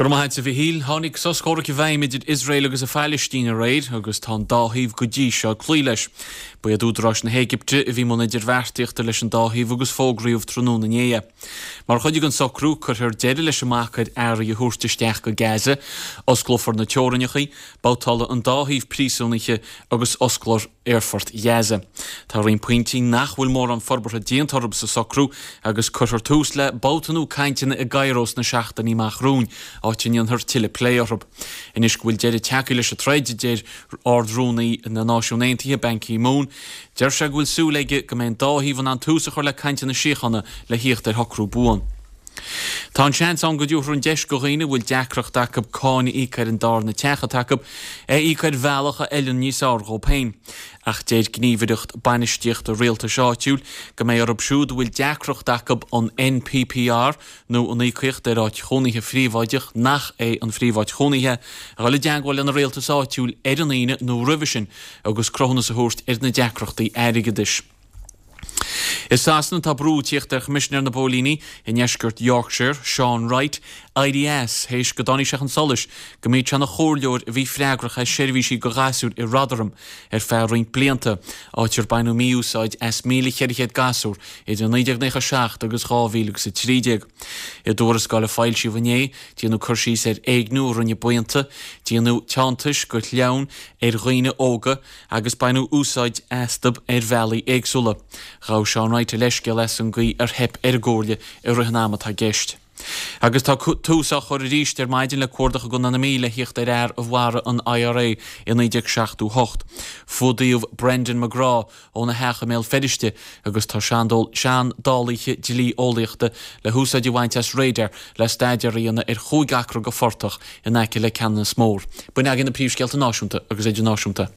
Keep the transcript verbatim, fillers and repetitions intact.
Go raibh maith agat a Mhichíl, tháinig sos comhraic i bhfeidhm idir Iosrael agus an Phalaistín aréir agus tá an dá thaobh go dtí seo ag cloí leis. Ba iad údaráis na hÉigipte a bhí i mbun idirbheartaíochta leis an dá thaobh agus fógraíodh tráthnóna inné é. Mar chuid den socrú cuirfear deireadh leis an mbac ar earraí a thabhairt isteach go Gaza, osclófar na teorainneacha, babhtálfaidh an dá thaobh príosúnaithe agus osclófar aerfort Ghaza. Tá roinnt pointí nach bhfuil mórán forbartha déanta orthu sa socrú agus cuirfear tús le babhta nua cainteanna i gCairo sna seachtainí amach romhainn, áit a ndéanfar tuilleadh plé orthu. Anois go bhfuil deireadh tagtha leis an troid, deir Ard-Rúnaí na Náisiún Aontaithe Ban Ki-moon, deir sé go bhfuil súil aige go mbeidh an dá thaobh in ann tús a chur le cainteanna síochána le theacht ar shocrú buan. Tá an seans ann go dtabharfar an deis do dhaoine a bhfuil deacracht acu cáin a íoc ar an darna teach atá acu é a íoc ar bhealach a fheileann níos fearr dhóibh féin. Ach deir gníomhaireacht bainistíochta rialtais áitiúil go mbeidh orthu siúd a bhfuil deacracht acu an NPPR nó an íocaíocht ar áit chónaithe phríobháideach nach é an phríomháit chónaithe a dhul i dteagmháil lena rialtas áitiúil ar an Aoine nó roimhe sin agus cruthúnas a thabhairt ar na deacrachtaí airgeadais. I Sasana tá brú ag tíocht ar Choimisinéir na bPóilíní i ndeisceart Yorkshire, Sean Wright, éirí as théis go dtáinig sé chun solais go mb'iad sé ina chomhairleoir a bhí freagrach as seirbhísí do ghasúir i Rotherham ar feadh roinnt blianta, áit ar baineadh mí-úsáid as míle ceithre chéad gasúr idir naoi déag nócha a seacht agus dhá mhíle agus a trí déag. I dtuarascáil a foilsíodh inné, déanadh cur síos ar éigniú a rinne buíonta, déanadh teanntais go sleamhain ar dhaoine óga agus baineadh úsáid astu ar bhealaí éagsúla. Ghabh Sean Wright a leithscéal as an gcaoi ar theip ar an gcomhairle i rith an ama atá i gceist. Agus tá tús á chur arís ar maidin le cuardach i gContae na Mí le theacht ar fhear a mharaigh an IRA i naoi déag seachtó hocht. Fuadaíodh Brendan McGrath óna theach i mBéal Feirste agus tá seandálaithe dlí-eolaíochta le húsáid a bhaint as radar le staidéar a dhéanamh ar chúig acra de phortach in aice le Ceanannas Mór. B'in againn na príomhscéalta náisiúnta agus idirnáisiúnta.